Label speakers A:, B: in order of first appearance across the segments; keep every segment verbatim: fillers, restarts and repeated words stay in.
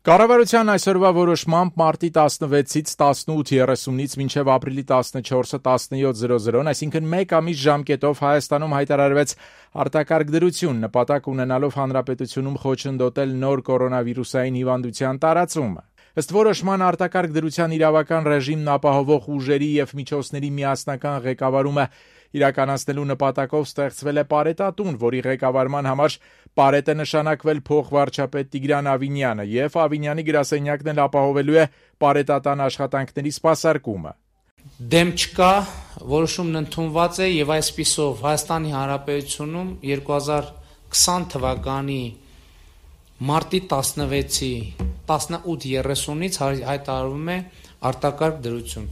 A: Կառավարության այսօրվա որոշմամբ մարտի տասնվեցից տասնութ երեսունից մինչև ապրիլի տասնչորսը տասնյոթ, այսինքն մեկ ամիս ժամկետով Հայաստանում հայտարարվեց արտակարգ դրություն, նպատակ ունենալով հանրապետությունում խոչընդոտել նոր կորոնավիրուսային հիվանդության տարածումը։ Ըստ որոշման արտակարգ դրության իրավական ռեժիմն ապահովող ուժերի և միջոցների միասնական ղեկավարումը իրականացնելու նպատակով ստեղծվել է պարետատուն, որի ղեկավարման համար պարետ է նշանակվել փոխվարչապետ Տիգրան Ավինյանը, և Ավինյանի գրասենյակն էլ ապահովելու է պարետատան աշխատանքների սպասարկումը։
B: Դեմ չկա, որոշումն ընդունված է եւ այսպիսով Հայաստանի Հանրապետությունում երկու հազար քսան թվականի մարտի տասնվեցի տասնութ երեսունից հայտարարվում է արտակարգ դրություն։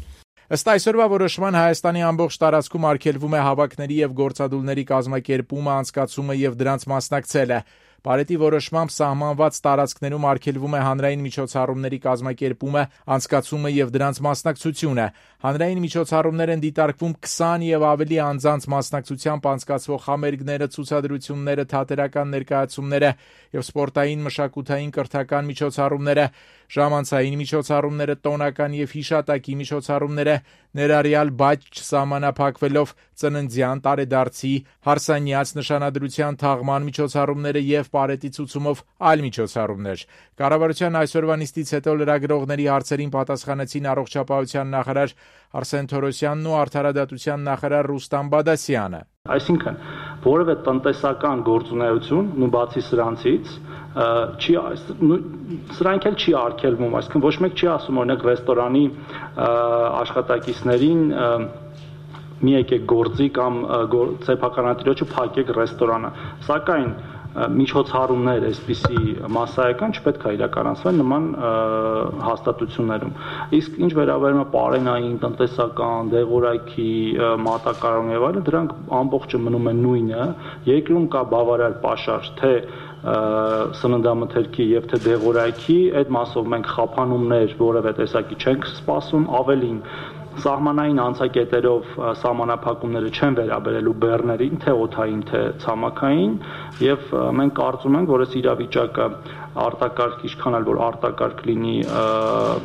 A: Ըստ այսօրվա որոշման Հայաստանի ամբողջ տարածքում արգելվում է հավաքների և գործադուլների կազմակերպումը, անցկացումը և դրանց մասնակցելը։ Պարետի որոշմամբ սահմանված տարածքներում արգելվում է հանրային միջոցառումների կազմակերպումը, անցկացումը և դրանց մասնակցությունը։ Հանրային միջոցառումներ են դիտարկվում քսան և ավելի անձանց մասնակցությամբ անցկացվող համերգները, ցուցադրությունները, թատերական ներկայացումները և սպորտային, մշակութային, կրթական միջոցառումները, ժամանցային միջոցառումները, տոնական և հիշատակի միջոցառումները, ներառյալ բայց չսահմանափակվելով ծննդյան, տարեդարձի, հարսանյաց, նշանադրության թաղման միջոցառումները և պարետի ցուցումով այլ միջոցառումներ։ Կառավարության այսօրվա նիստից հետո լրագրողների հարցերին պատասխանեցին առողջապահության նախարար Արսեն Թորոսյանն ու արդարադատության նախարար Ռուստամ Բադասյանը։
C: Այսինքն, որևէ տնտեսական գործունեություն, ու բացի սրանցից, չի սրանք էլ չի արգելվում, այսինքն ոչ մեկ չի ասում օրինակ ռեստորանի աշխատակիցներին մի եկեք գործի կամ սեփականատիրոջը փակեք ռեստորանը, սակայն միջոցառումներ այսպիսի մասսայական չպետք է իրականացվեն նման հաստատություններում։ Իսկ ինչ վերաբերում է պարենային, տնտեսական, դեղորայքի, մատակարարում եւ այլն, դրանք ամբողջը մնում են նույնը։ Երկրում կա բավարար պաշար թե սննդամթերքի եւ թե դեղորայքի, այդ մասով մենք խափանումներ որևէ տեսակի չենք սպասում, ավելին սահմանային անցակետերով սահմանափակումները չեն վերաբերելու բեռներին, թե օդային, թե ցամաքային, եւ մենք կարծում ենք, որ այս իրավիճակը արտակարգ ինչքան էլ որ արտակարգ լինի,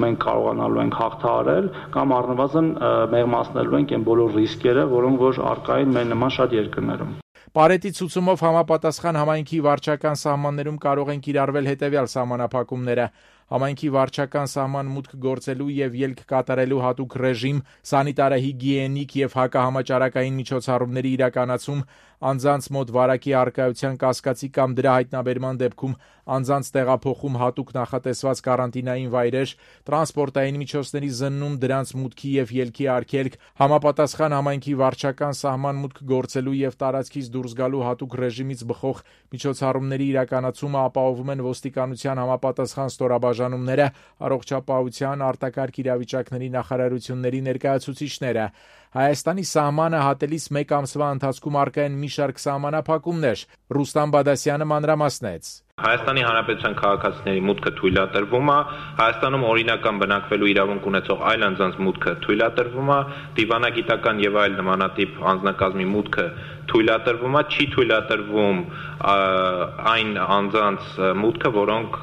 C: մենք կարողանալու ենք հաղթահարել կամ առնվազն մեղմացնելու ենք այն բոլոր ռիսկերը, որոնք որ առկա են մեր նման շատ երկրներում։
A: Պարետի ցուցումով համապատասխան համայնքի վարչական սահմաններում կարող են կիրառվել հետևյալ սահմանափակումները. համայնքի վարչական սահման մուտք գործելու եւ ելք կատարելու հատուկ ռեժիմ, սանիտարահիգիենիկ եւ հակահամաճարակային միջոցառումների իրականացում, անձանց մոտ վարակի առկայության կասկածի կամ դրա հայտնաբերման դեպքում անձանց տեղափոխում հատուկ նախատեսված կարանտինային վայրեր, տրանսպորտային միջոցների զննում, դրանց մուտքի եւ ելքի արգելք, համապատասխան համայնքի վարչական սահման մուտք գործելու եւ տարածքից դուրս գալու հատուկ ռեժիմից բխող միջոցառումների իրականացումը ապահովում են ոստիկանության համապատասխան ստորաբաժանումները, առողջապահության, արտակարգ իրավիճակների նախարարությունների ներկայացուցիչները։ Հայաստանի սահմանը հատելիս մեկ ամսվա ընթացքում առկա են մի շարք սահմանափակումներ։ Ռուստամ Բադասյանը մանրամասնեց.
D: Հայաստանի Հանրապետության քաղաքացիների մուտքը թույլատրվում է, Հայաստանում օրինական բնակվելու իրավունք ունեցող այլ անձանց մուտքը թույլատրվում է, դիվանագիտական եւ այլ նմանատիպ անձնակազմի մուտքը թույլատրվում է, չի թույլատրվում այն անձանց մուտքը, որոնք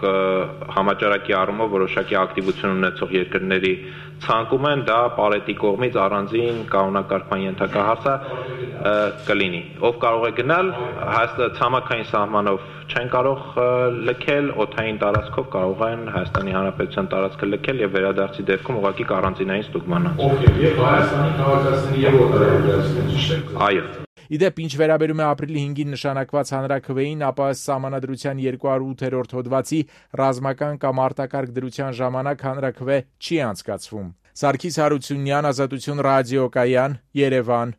D: համաճարակի առումով որոշակի ակտիվություն ունեցող երկրների ցանկում են, դա պարետի կողմից առանձին կանոնակարգման ենթակահարց կլինի։ Ով կարող է գնալ, ցամաքային սահմանով չեն կարող լքել, օդային տարածքով կարող են Հայաստանի Հանրապետության տարածքը լքել եւ վերադարձի դեպքում ուղղակի կարանտինային ստուգման անց։
E: Okay, եւ Հայաստանի քաղաքացիների եւ օտարերկրացիների ճիշտ է։
D: Այո։
A: Իդեպ, ինչ վերաբերում է ապրիլի հինգին նշանակված հանրաքվեին, ապա Սահմանադրության երկուսուն ութերորդ հոդվածի ռազմական կամ արտակարգ դրության ժամանակ հանրաքվե չի անցկացվում։ Սարգիս Հարությունյան, Ազատություն ռադիոկայան, Երևան։